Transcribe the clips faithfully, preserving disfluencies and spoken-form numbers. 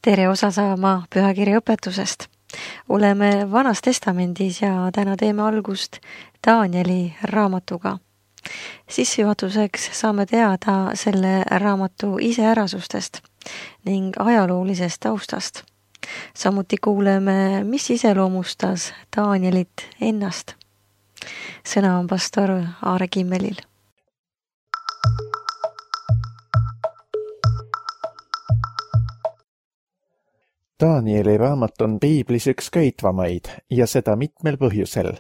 Tere osa saama pühakirja õpetusest. Oleme Vanas Testamendis ja täna teeme algust Danieli raamatuga. Sissejuhatuseks saame teada selle raamatu iseärasustest ning ajaloolisest taustast. Samuti kuuleme, mis iseloomustas Danielit ennast. Sõna on pastor Aare Kimmelil. Danieli raamat on piiblis üks köitvamaid ja seda mitmel põhjusel.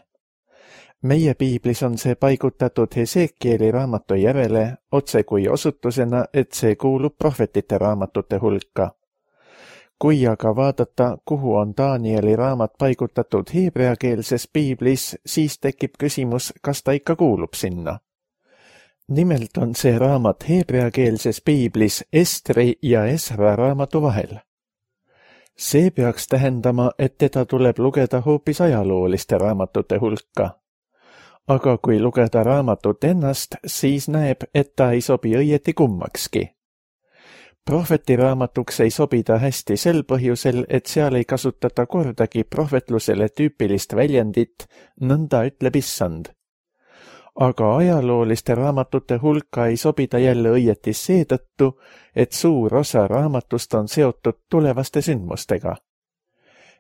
Meie piiblis on see paigutatud Hesekieli raamatu järele otse kui osutusena, et see kuulub prohvetite raamatute hulka. Kui aga vaadata, kuhu on Danieli raamat paigutatud heebreakeelses piiblis, siis tekib küsimus, kas ta ikka kuulub sinna. Nimelt on see raamat heebreakeelses piiblis Estri ja Esra raamatu vahel. See peaks tähendama, et teda tuleb lugeda hoopis ajalooliste raamatute hulka. Aga kui lugeda raamatut ennast, siis näeb, et ta ei sobi õieti kummakski. Prohveti raamatuks ei sobi ta hästi sel põhjusel, et seal ei kasutata kordagi prohvetlusele tüüpilist väljendit, nõnda ütleb issand. Aga ajalooliste raamatute hulka ei sobi ta jälle õieti seetõttu, et suur osa raamatust on seotud tulevaste sündmustega.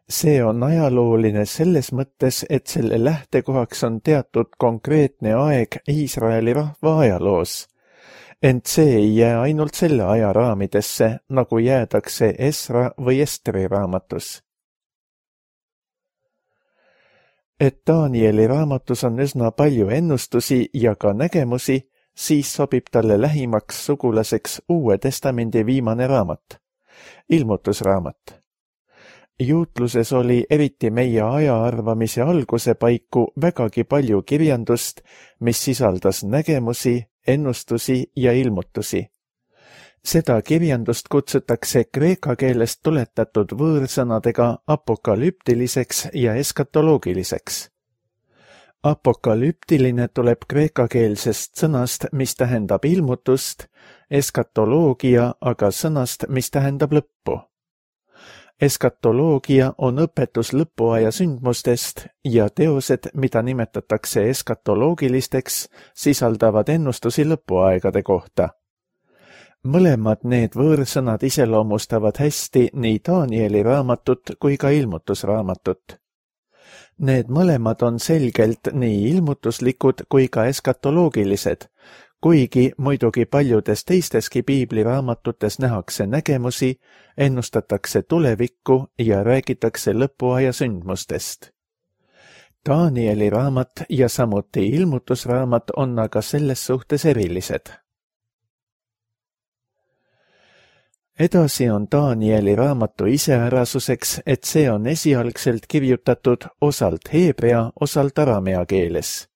See on ajalooline selles mõttes, et selle lähtekohaks on teatud konkreetne aeg Iisraeli rahva ajaloos. Ent see ei jää ainult selle aja raamidesse, nagu jäädakse Esra või Estri raamatus. Et Danieli raamatus on üsna palju ennustusi ja ka nägemusi, siis sobib talle lähimaks sugulaseks Uue Testamendi viimane raamat, ilmutusraamat. Juutluses oli eriti meie aja arvamise alguse paiku vägagi palju kirjandust, mis sisaldas nägemusi, ennustusi ja ilmutusi. Seda kirjandust kutsutakse kreeka keelest tuletatud võõrsõnadega apokalüptiliseks ja eskatoloogiliseks. Apokalüptiline tuleb kreekakeelsest sõnast, mis tähendab ilmutust, eskatoloogia aga sõnast, mis tähendab lõppu. Eskatoloogia on õpetus lõpuaja sündmustest ja teosed, mida nimetatakse eskatoloogilisteks, sisaldavad ennustusi lõpuaegade kohta. Mõlemad need võõrsõnad iseloomustavad hästi nii Danieli raamatut kui ka ilmutusraamatut. Need mõlemad on selgelt nii ilmutuslikud kui ka eskatoloogilised, kuigi muidugi paljudes teisteski piibliraamatutes nähakse nägemusi, ennustatakse tulevikku ja räägitakse lõpuaja sündmustest. Danieli raamat ja samuti ilmutusraamat on aga selles suhtes erilised. Edasi on Danieli raamatu iseärasuseks, et see on esialgselt kirjutatud osalt heebrea, osalt aramea keeles.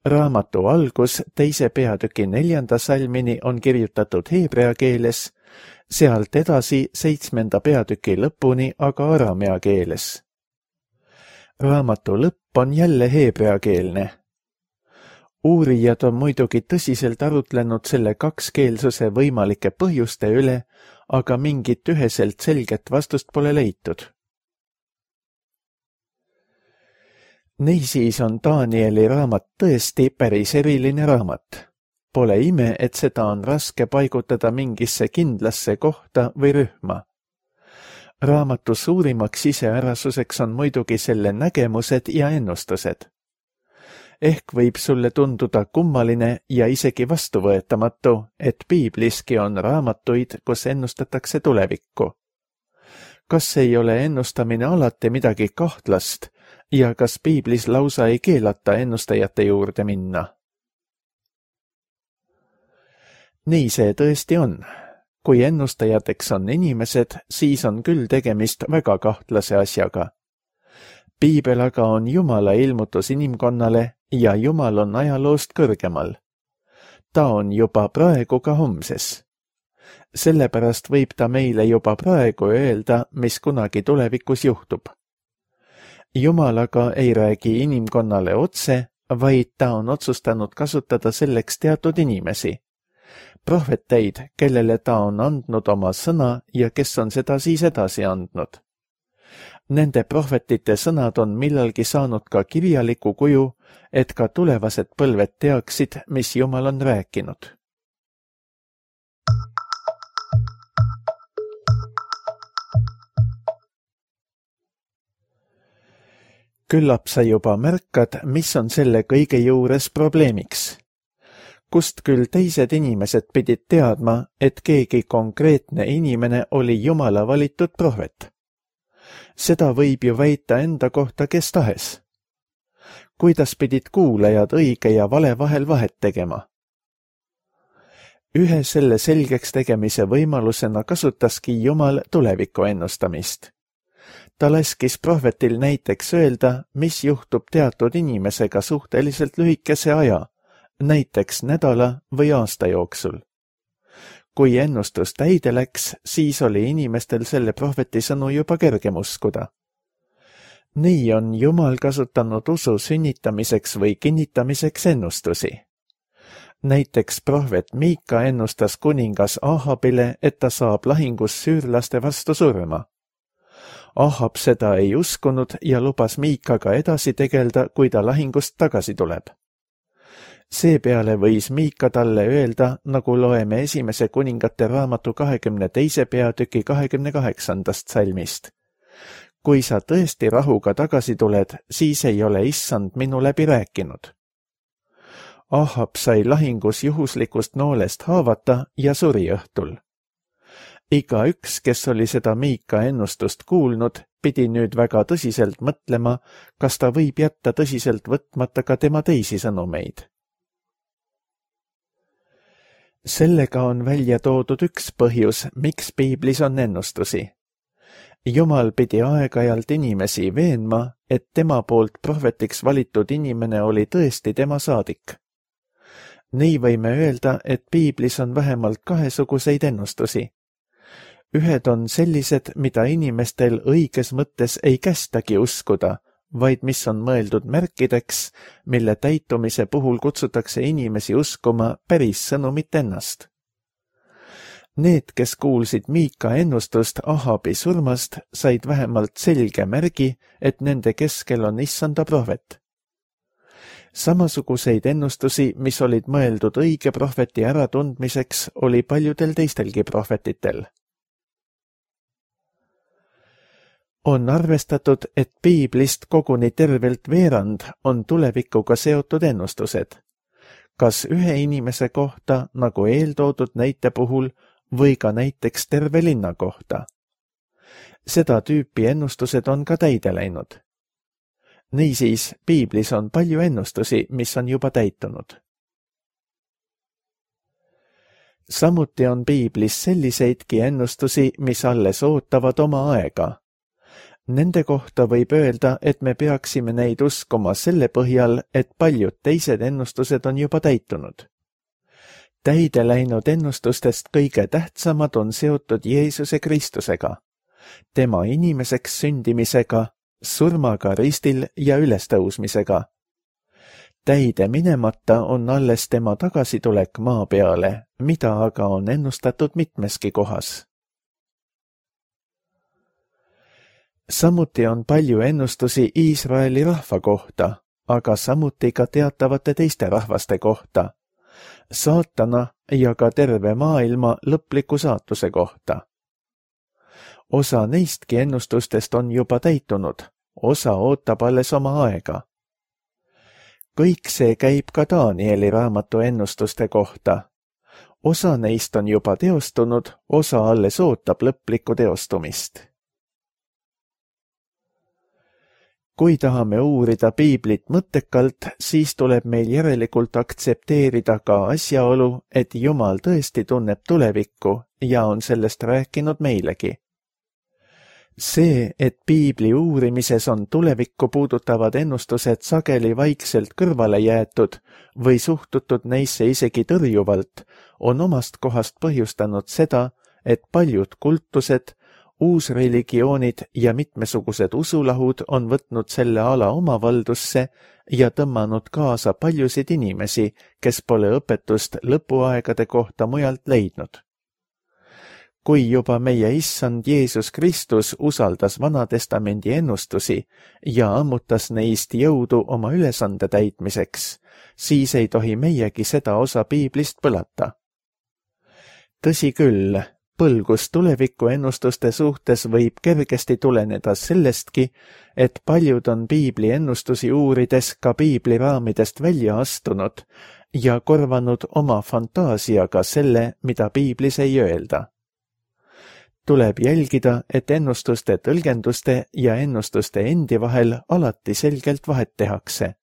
Raamatu algus teise peatüki neljanda salmini on kirjutatud heebrea keeles, sealt edasi seitsmenda peatüki lõpuni aga aramea keeles. Raamatu lõpp on jälle heebreakeelne. Uurijad on muidugi tõsiselt arutlenud selle kakskeelsuse võimalike põhjuste üle, aga mingit üheselt selget vastust pole leitud. Niisiis on Danieli raamat tõesti päris eriline raamat. Pole ime, et seda on raske paigutada mingisse kindlasse kohta või rühma. Raamatu suurimaks iseärasuseks on muidugi selle nägemused ja ennustused. Ehk võib sulle tunduda kummaline ja isegi vastuvõetamatu, et piibliski on raamatuid, kus ennustatakse tulevikku. Kas ei ole ennustamine alati midagi kahtlast ja kas piiblis lausa ei keelata ennustajate juurde minna? Nii see tõesti on. Kui ennustajateks on inimesed, siis on küll tegemist väga kahtlase asjaga. Piibel aga on Jumala ilmutus inimkonnale ja Jumal on ajaloost kõrgemal. Ta on juba praegu ka homses. Sellepärast võib ta meile juba praegu öelda, mis kunagi tulevikus juhtub. Jumal aga ei räägi inimkonnale otse, vaid ta on otsustanud kasutada selleks teatud inimesi. prohveteid, kellele ta on andnud oma sõna ja kes on seda siis edasi andnud. Nende prohvetite sõnad on millalgi saanud ka kirjaliku kuju, et ka tulevased põlved teaksid, mis Jumal on rääkinud. Küllap sa juba märkad, mis on selle kõige juures probleemiks. Kust küll teised inimesed pidid teadma, et keegi konkreetne inimene oli Jumala valitud prohvet. Seda võib ju väita enda kohta kes tahes. Kuidas pidid kuulajad õige ja vale vahel vahet tegema? Ühe selle selgeks tegemise võimalusena kasutaski Jumal tuleviku ennustamist. Ta laskis prohvetil näiteks öelda, mis juhtub teatud inimesega suhteliselt lühikese aja, näiteks nädala või aasta jooksul. Kui ennustus täide läks, siis oli inimestel selle prohveti sõnu juba kergem uskuda. Nii on Jumal kasutanud usu sünnitamiseks või kinnitamiseks ennustusi. Näiteks prohvet Miika ennustas kuningas Ahabile, et ta saab lahingus süürlaste vastu surma. Ahab seda ei uskunud ja lubas Miikaga edasi tegelda, kui ta lahingust tagasi tuleb. Seepeale võis Miika talle öelda, nagu loeme esimese kuningate raamatu kahekümne teise peatüki kahekümne kaheksandast salmist. Kui sa tõesti rahuga tagasi tuled, siis ei ole issand minu läbi rääkinud. Ahab sai lahingus juhuslikust noolest haavata ja suri õhtul. Iga üks, kes oli seda Miika ennustust kuulnud, pidi nüüd väga tõsiselt mõtlema, kas ta võib jätta tõsiselt võtmata ka tema teisi sõnumeid. Sellega on välja toodud üks põhjus, miks piiblis on ennustusi. Jumal pidi aeg-ajalt inimesi veenma, et tema poolt prohvetiks valitud inimene oli tõesti tema saadik. Nii võime öelda, et piiblis on vähemalt kahesuguseid ennustusi. Ühed on sellised, mida inimestel õiges mõttes ei kästagi uskuda, vaid mis on mõeldud märkideks, mille täitumise puhul kutsutakse inimesi uskuma päris sõnumit ennast. Need, kes kuulsid Miika ennustust Ahabi surmast, said vähemalt selge märgi, et nende keskel on issanda prohvet. Samasuguseid ennustusi, mis olid mõeldud õige prohveti äratundmiseks, oli paljudel teistelgi prohvetitel. On arvestatud, et piiblist koguni tervelt veerand on tulevikuga seotud ennustused, kas ühe inimese kohta, nagu eeltoodud näite puhul, või ka näiteks terve linna kohta. Seda tüüpi ennustused on ka täide läinud. Niisiis, piiblis on palju ennustusi, mis on juba täitunud. Samuti on piiblis selliseidki ennustusi, mis alles ootavad oma aega. Nende kohta võib öelda, et me peaksime neid uskuma selle põhjal, et paljud teised ennustused on juba täitunud. Täide läinud ennustustest kõige tähtsamad on seotud Jeesuse Kristusega, tema inimeseks sündimisega, surmaga ristil ja ülestõusmisega. Täide minemata on alles tema tagasitulek maa peale, mida aga on ennustatud mitmeski kohas. Samuti on palju ennustusi Iisraeli rahva kohta, aga samuti ka teatavate teiste rahvaste kohta, saatana ja ka terve maailma lõpliku saatuse kohta. Osa neistki ennustustest on juba täitunud, osa ootab alles oma aega. Kõik see käib ka Danieli raamatu ennustuste kohta. Osa neist on juba teostunud, osa alles ootab lõplikku teostumist. Kui tahame uurida piiblit mõttekalt, siis tuleb meil järelikult aktsepteerida ka asjaolu, et Jumal tõesti tunneb tulevikku ja on sellest rääkinud meilegi. See, et piibli uurimises on tulevikku puudutavad ennustused sageli vaikselt kõrvale jäetud või suhtutud neisse isegi tõrjuvalt, on omast kohast põhjustanud seda, et paljud kultused uusreligioonid ja mitmesugused usulahud on võtnud selle ala oma valdusse ja tõmmanud kaasa paljusid inimesi, kes pole õpetust lõpuaegade kohta mujalt leidnud. Kui juba meie issand Jeesus Kristus usaldas Vanatestamendi ennustusi ja ammutas neist jõudu oma ülesande täitmiseks, siis ei tohi meiegi seda osa piiblist põlata. Tõsi küll, põlgus tuleviku ennustuste suhtes võib kergesti tuleneda sellestki, et paljud on piibli ennustusi uurides ka piibli raamidest välja astunud ja korvanud oma fantaasiaga selle, mida piiblis ei öelda. Tuleb jälgida, et ennustuste tõlgenduste ja ennustuste endi vahel alati selgelt vahet tehakse.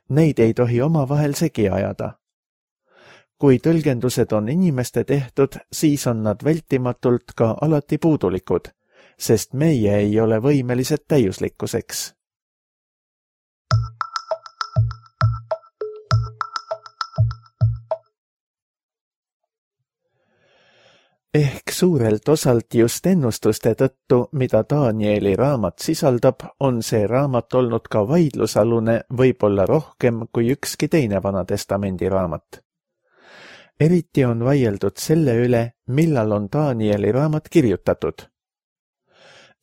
Neid ei tohi omavahel segi ajada. Kui tõlgendused on inimeste tehtud, siis on nad vältimatult ka alati puudulikud, sest meie ei ole võimelised täiuslikkuseks. Ehk suurelt osalt just ennustuste tõttu, mida Danieli raamat sisaldab, on see raamat olnud ka vaidlusalune võib-olla rohkem kui ükski teine Vanatestamendi raamat. Eriti on vaieldud selle üle, millal on Danieli raamat kirjutatud.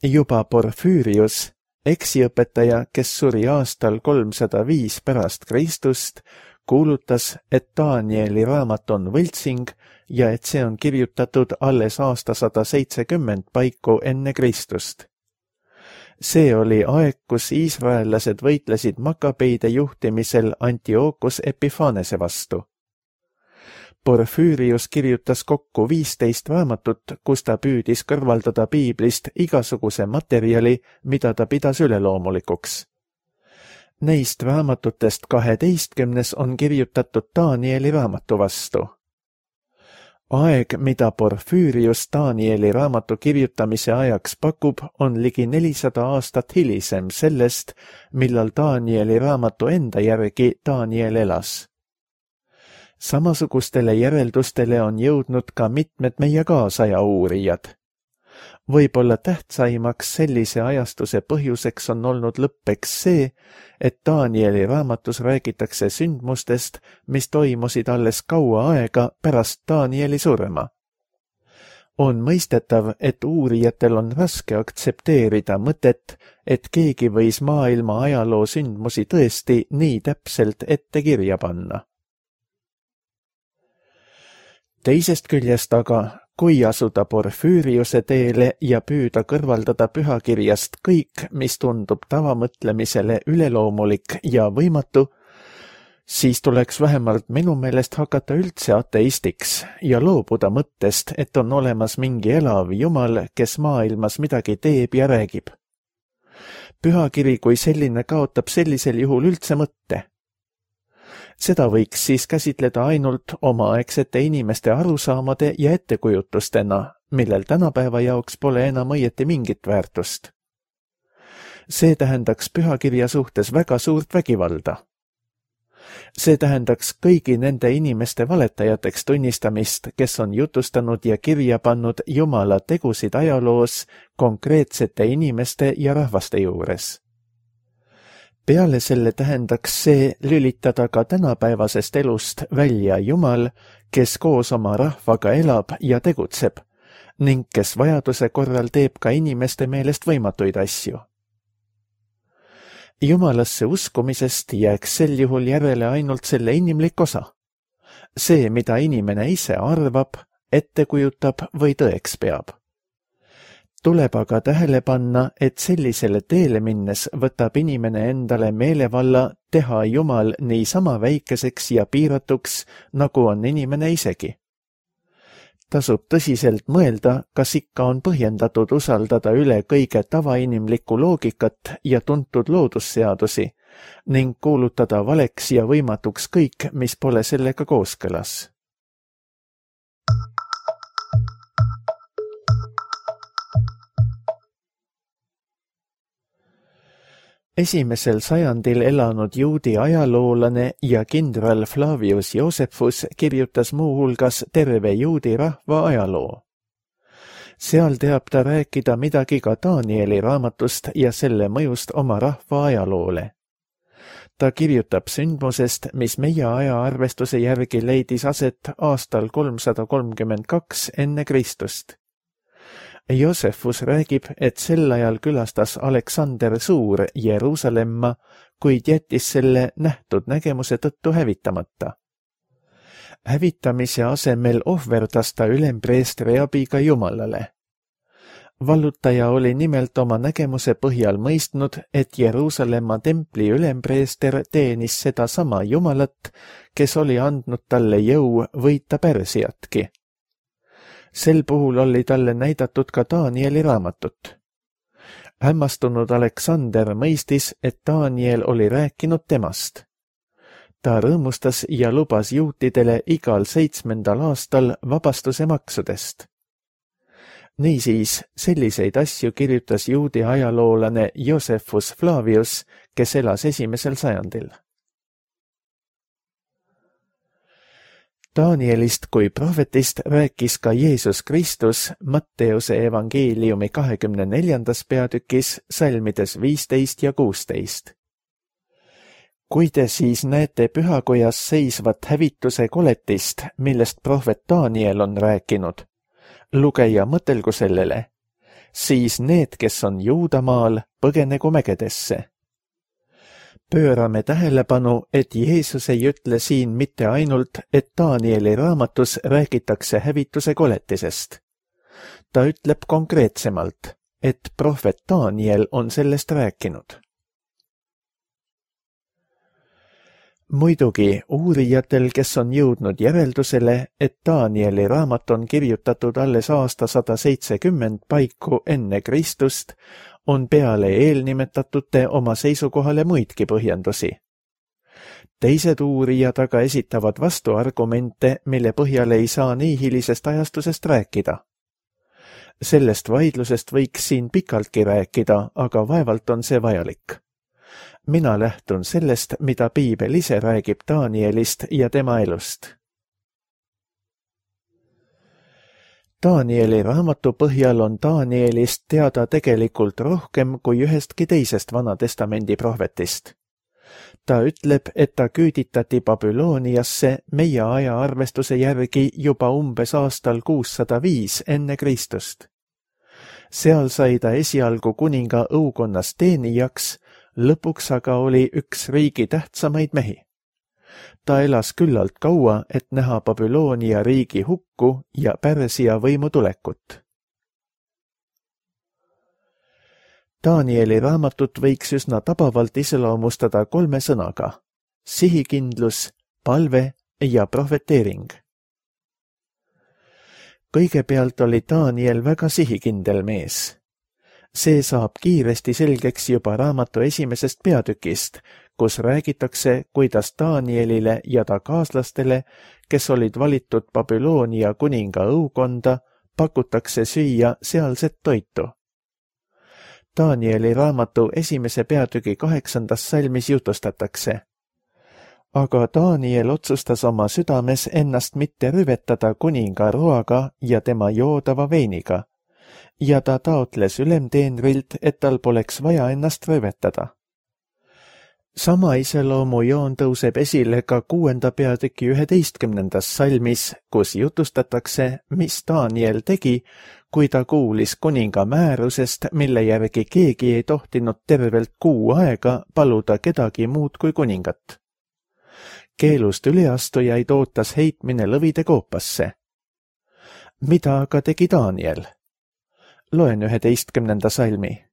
Juba Porfüürius, eksiõpetaja, kes suri aastal kolmsada viis pärast Kristust, kuulutas, et Danieli raamat on võltsing ja et see on kirjutatud alles aastasada seitsekümmend paiku enne Kristust. See oli aeg, kus iisraellased võitlesid Makabeide juhtimisel Antiochus Epiphanese vastu. Porfüürius kirjutas kokku viisteist raamatut, kus ta püüdis kõrvaldada piiblist igasuguse materjali, mida ta pidas üleloomulikuks. Neist raamatutest kaheteistkümnes on kirjutatud Danieli raamatu vastu. Aeg, mida Porfüürius Danieli raamatu kirjutamise ajaks pakub, on ligi nelisada aastat hilisem sellest, millal Danieli raamatu enda järgi Daniel elas. Samasugustele järeldustele on jõudnud ka mitmed meie kaasaja uurijad. Võib-olla tähtsaimaks sellise ajastuse põhjuseks on olnud lõppeks see, et Danieli raamatus räägitakse sündmustest, mis toimusid alles kaua aega pärast Danieli surma. On mõistetav, et uurijatel on raske aktsepteerida mõtet, et keegi võis maailma ajaloo sündmusi tõesti nii täpselt ette kirja panna. Teisest küljest aga, kui asuda Porfüüriuse teele ja püüda kõrvaldada pühakirjast kõik, mis tundub tavamõtlemisele üleloomulik ja võimatu, siis tuleks vähemalt minu meelest hakata üldse ateistiks ja loobuda mõttest, et on olemas mingi elav Jumal, kes maailmas midagi teeb ja räägib. Pühakiri kui selline kaotab sellisel juhul üldse mõtte. Seda võiks siis käsitleda ainult omaaegsete inimeste arusaamade ja ettekujutustena, millel tänapäeva jaoks pole enam õieti mingit väärtust. See tähendaks pühakirja suhtes väga suurt vägivalda. See tähendaks kõigi nende inimeste valetajateks tunnistamist, kes on jutustanud ja kirja pannud Jumala tegusid ajaloos konkreetsete inimeste ja rahvaste juures. Peale selle tähendaks see lülitada ka tänapäevasest elust välja Jumal, kes koos oma rahvaga elab ja tegutseb ning kes vajaduse korral teeb ka inimeste meelest võimatuid asju. Jumalasse uskumisest jääks sel juhul järele ainult selle inimlik osa. See, mida inimene ise arvab, ette kujutab või tõeks peab. Tuleb aga tähele panna, et sellisele teele minnes võtab inimene endale meelevalla teha Jumal nii sama väikeseks ja piiratuks, nagu on inimene isegi. Tasub tõsiselt mõelda, kas ikka on põhjendatud usaldada üle kõige tavainimlikku loogikat ja tuntud loodusseadusi ning kuulutada valeks ja võimatuks kõik, mis pole sellega kooskõlas. Esimesel sajandil elanud juudi ajaloolane ja kindral Flavius Josephus kirjutas muu hulgas terve juudi rahva ajaloo. seal teab ta rääkida midagi ka Danieli raamatust ja selle mõjust oma rahva ajaloole. Ta kirjutab sündmusest, mis meie ajaarvestuse järgi leidis aset aastal kolmsada kolmkümmend kaks enne Kristust. Joosefus räägib, et sel ajal külastas Aleksander Suur Jeruusalemma, kuid jättis selle nähtud nägemuse tõttu hävitamata. Hävitamise asemel ohverdas ta ülempreestri abiga Jumalale. Vallutaja oli nimelt oma nägemuse põhjal mõistnud, et Jeruusalemma templi ülempreester teenis seda sama Jumalat, kes oli andnud talle jõu võita Pärsiatki. Sel puhul oli talle näidatud ka Danieli raamatut. Hämmastunud Aleksander mõistis, et Daniel oli rääkinud temast. Ta rõõmustas ja lubas juutidele igal seitsmendal aastal vabastuse maksudest. Niisiis, selliseid asju kirjutas juudi ajaloolane Josephus Flavius, kes elas esimesel sajandil. Danielist kui prohvetist rääkis ka Jeesus Kristus Matteuse evangeeliumi kahekümne neljandas peatükis salmides viisteist ja kuusteist. Kui te siis näete pühakojas seisvat hävituse koletist, millest prohvet Daniel on rääkinud, lugeja mõtelgu sellele, siis need, kes on Juudamaal, põgenegu mägedesse. Pöörame tähelepanu, et Jeesus ei ütle siin mitte ainult, et Danieli raamatus räägitakse hävituse koletisest. Ta ütleb konkreetsemalt, et prohvet Daniel on sellest rääkinud. Muidugi uurijatel, kes on jõudnud järeldusele, et Danieli raamat on kirjutatud alles aasta sada seitsekümmend paiku enne Kristust, on peale eelnimetatute oma seisukohale muidki põhjendusi. Teised uurijad aga esitavad vastuargumente, mille põhjal ei saa nii hilisest ajastusest rääkida. Sellest vaidlusest võiks siin pikaltki rääkida, aga vaevalt on see vajalik. Mina lähtun sellest, mida piibel ise räägib Danielist ja tema elust. Danieli raamatu põhjal on Danielist teada tegelikult rohkem kui ühestki teisest Vanatestamendi prohvetist. Ta ütleb, et ta küüditati Babyloniasse meie ajaarvestuse järgi juba umbes aastal kuussada viis enne Kristust. Seal sai ta esialgu kuninga õukonnas teenijaks, lõpuks aga oli üks riigi tähtsamaid mehi. Ta elas küllalt kaua, et näha Babyloonia riigi hukku ja Pärsia võimu tulekut. Danieli raamatut võiks üsna tabavalt iseloomustada kolme sõnaga: sihikindlus, palve ja prohveteering. Kõigepealt oli Daniel väga sihikindel mees. See saab kiiresti selgeks juba raamatu esimesest peatükist, kus räägitakse, kuidas Danielile ja ta kaaslastele, kes olid valitud Babyloonia kuninga õukonda, pakutakse süüa sealset toitu. Danieli raamatu esimese peatüki kaheksandas salmis jutustatakse. Aga Daniel otsustas oma südames ennast mitte rüvetada kuninga roaga ja tema joodava veiniga, ja ta taotles ülemteenrilt, et tal poleks vaja ennast röövetada. Sama iseloomu joon tõuseb esile ka kuuenda peatüki üheteistkümnendas salmis, kus jutustatakse, mis Daniel tegi, kui ta kuulis kuninga määrusest, mille järgi keegi ei tohtinud tervelt kuu aega paluda kedagi muud kui kuningat. Keelust üleastujaid ootas heitmine lõvide koopasse. Mida aga tegi Daniel? Loen üheteistkümnenda salmi.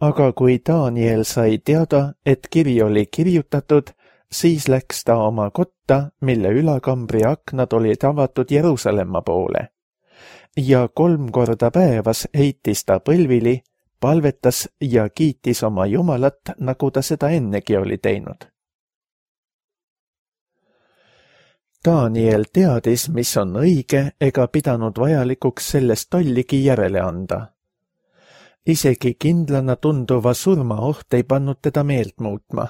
Aga kui Daniel sai teada, et kiri oli kirjutatud, siis läks ta oma kotta, mille ülakambri aknad olid avatud Jeruusalemma poole. Ja kolm korda päevas heitis ta põlvili, palvetas ja kiitis oma Jumalat, nagu ta seda ennegi oli teinud. Daniel teadis, mis on õige, ega pidanud vajalikuks sellest tolligi järele anda. Isegi kindlana tunduva surmaoht ei pannud teda meelt muutma.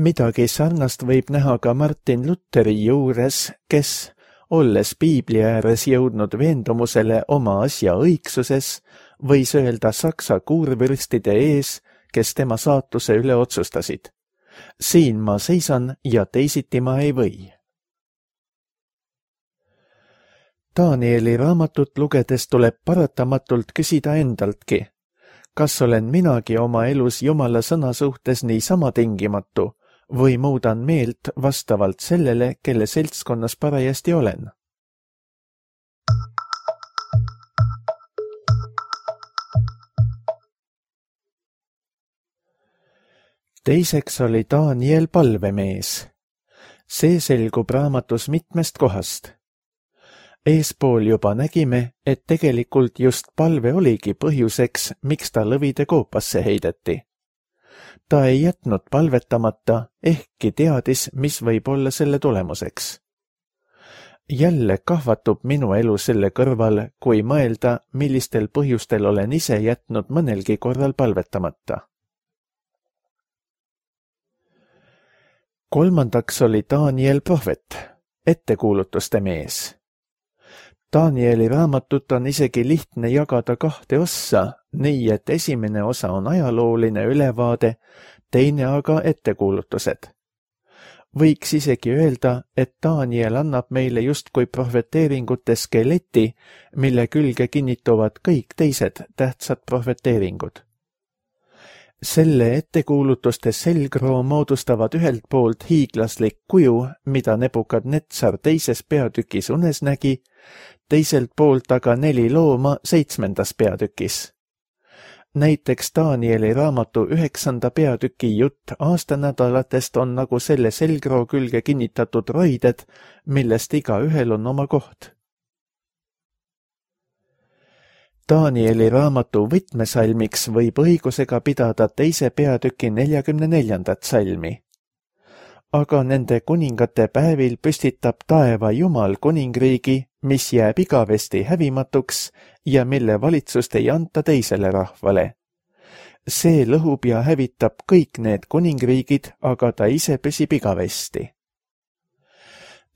Midagi sarnast võib näha ka Martin Lutheri juures, kes, olles piibli ääres jõudnud veendumusele oma asja õigsuses, võis öelda saksa kuurvürstide ees, kes tema saatuse üle otsustasid. Siin ma seisan ja teisiti ma ei või. Danieli raamatut lugedes tuleb paratamatult küsida endaltki, kas olen minagi oma elus Jumala sõna suhtes niisama tingimatu või muudan meelt vastavalt sellele, kelle seltskonnas parajasti olen. Teiseks oli Daniel palvemees. See selgub raamatus mitmest kohast. Eespool juba nägime, et tegelikult just palve oligi põhjuseks, miks ta lõvide koopasse heideti. Ta ei jätnud palvetamata, ehkki teadis, mis võib olla selle tulemuseks. Jälle kahvatub minu elu selle kõrval, kui mõelda, millistel põhjustel olen ise jätnud mõnelgi korral palvetamata. Kolmandaks oli Daniel prohvet, ettekuulutuste mees. Danieli raamatut on isegi lihtne jagada kahte ossa, nii et esimene osa on ajalooline ülevaade, teine aga ettekuulutused. Võiks isegi öelda, et Daniel annab meile justkui prohveteeringute skeleti, mille külge kinnituvad kõik teised tähtsad prohveteeringud. Selle ettekuulutuste selgroo moodustavad ühelt poolt hiiglaslik kuju, mida Nebukadnetsar teises peatükis unes nägi, teiselt poolt aga neli looma seitsmendas peatükis. Näiteks Danieli raamatu üheksanda peatüki jutt aastanädalatest on nagu selle selgroo külge kinnitatud roided, millest iga ühel on oma koht. Danieli raamatu võtmesalmiks võib õigusega pidada teise peatüki neljakümne neljandat salmi. Aga nende kuningate päevil püstitab taeva Jumal kuningriigi, mis jääb igavesti hävimatuks ja mille valitsust ei anta teisele rahvale. See lõhub ja hävitab kõik need kuningriigid, aga ta ise püsib igavesti.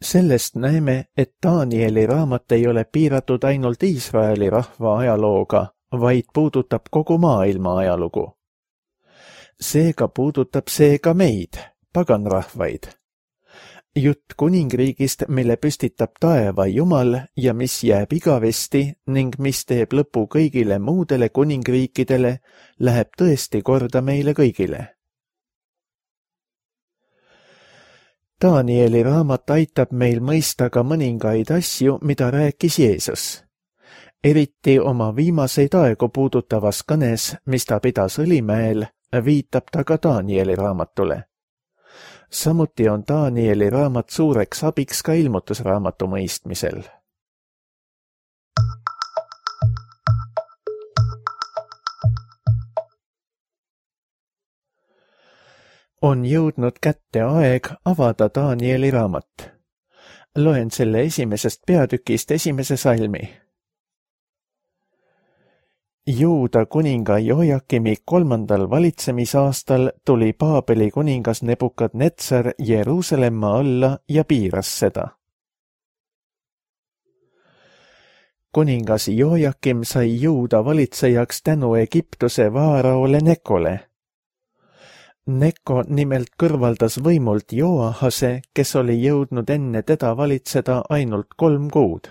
Sellest näeme, et Danieli raamat ei ole piiratud ainult Iisraeli rahva ajalooga, vaid puudutab kogu maailma ajalugu. Seega puudutab see ka meid, paganrahvaid. Jutt kuningriigist, mille püstitab taeva Jumal ja mis jääb igavesti ning mis teeb lõpu kõigile muudele kuningriikidele, läheb tõesti korda meile kõigile. Danieli raamat aitab meil mõista ka mõningaid asju, mida rääkis Jeesus. Eriti oma viimaseid aegu puudutavas kõnes, mis ta pidas Õlimäel, viitab ta ka Danieli raamatule. Samuti on Danieli raamat suureks abiks ka ilmutusraamatu mõistmisel. On jõudnud kätte aeg avada Danieli raamat. Loen selle esimesest peatükist esimese salmi. Juuda kuninga Jojakimi kolmandal valitsemisaastal tuli Paabeli kuningas Nebukadnetsar Jeruusalemma alla ja piiras seda. Kuningas Jojakim sai Juuda valitsejaks tänu Egiptuse vaaraole Nekole. Neko nimelt kõrvaldas võimult Joahase, kes oli jõudnud enne teda valitseda ainult kolm kuud.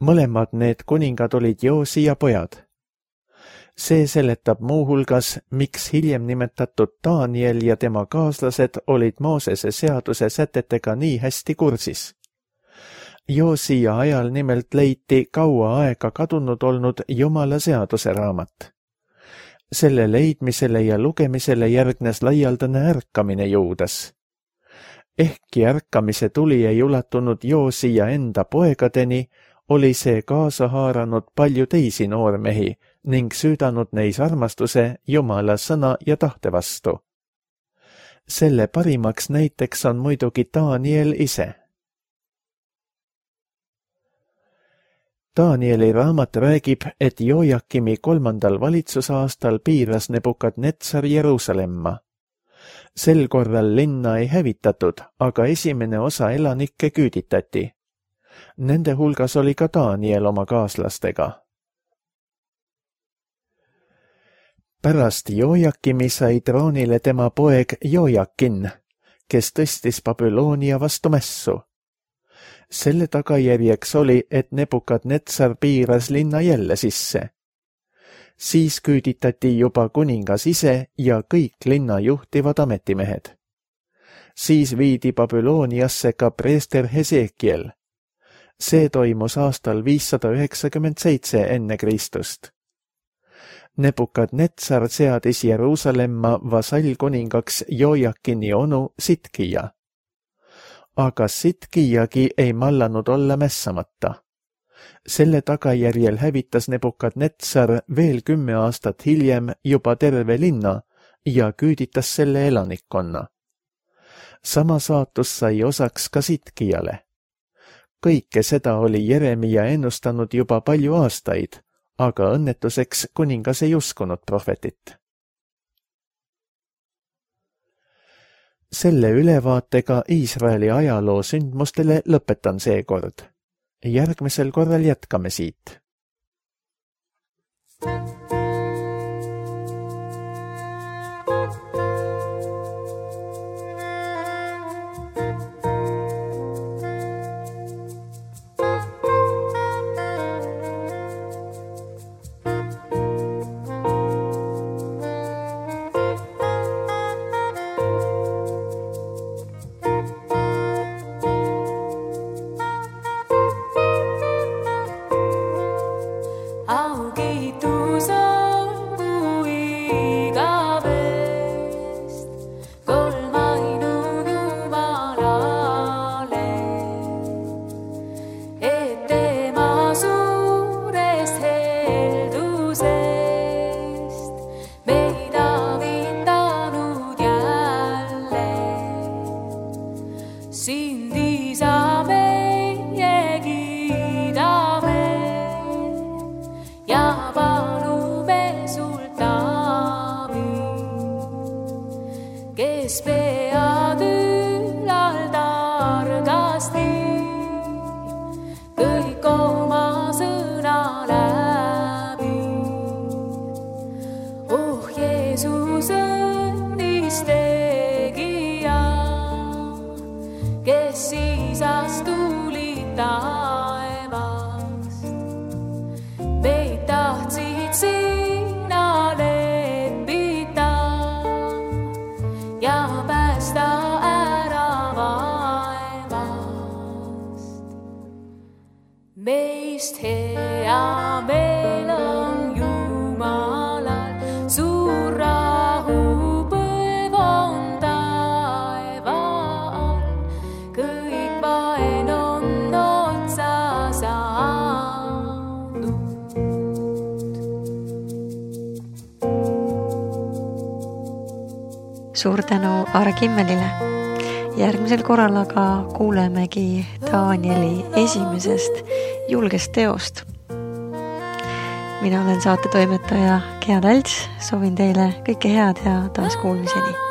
Mõlemad need kuningad olid Joosia pojad. See seletab muuhulgas, miks hiljem nimetatud Daniel ja tema kaaslased olid Moosese seaduse sätetega nii hästi kursis. Joosia ajal nimelt leiti kaua aega kadunud olnud Jumala seaduse raamat. Selle leidmisele ja lugemisele järgnes laialdane ärkamine Juudas. Ehkki ärkamise tuli ei ulatunud Joosia enda poegadeni, oli see kaasa haaranud palju teisi noormehi ning süüdanud neis armastuse Jumala sõna ja tahte vastu. Selle parimaks näiteks on muidugi Daniel ise. Danieli raamat räägib, et Jojakimi kolmandal valitsusaastal piiras Nebukadnetsar Jeruusalemma. Sel korral linna ei hävitatud, aga esimene osa elanikke küüditati. Nende hulgas oli ka Daniel oma kaaslastega. Pärast Jojakimi sai troonile tema poeg Jojakin, kes tõstis Babyloonia vastu mässu. Selle tagajärjeks oli, et Nebukadnetsar piiras linna jälle sisse. Siis küüditati juba kuningas ise ja kõik linna juhtivad ametimehed. Siis viidi Babyloniasse ka preester Hesekiel. See toimus aastal viissada üheksakümmend seitse enne Kristust. Nebukadnetsar seadis Jeruusalemma vasallkuningaks Jojakini onu Sitkija. Aga Sitkijagi ei mallanud olla mässamata. Selle tagajärjel hävitas Nebukadnetsar veel kümme aastat hiljem juba terve linna ja küüditas selle elanikkonna. Sama saatus sai osaks ka Sitkijale. Kõike seda oli Jeremia ennustanud juba palju aastaid, aga õnnetuseks kuningas ei uskunud prohvetit. Selle ülevaatega Iisraeli ajaloo sündmustele lõpetan seekord. Järgmisel korral jätkame siit. Meist hea meel on Jumalal, suur rahu põev on taeval, kõik vaen on otsa saanud. Suur tänu Aare Kimmelile. Järgmisel korral aga kuulemegi Danieli esimesest julgest teost. Mina olen saate toimetaja Gea Talts, soovin teile kõike head ja taas kuulmiseni.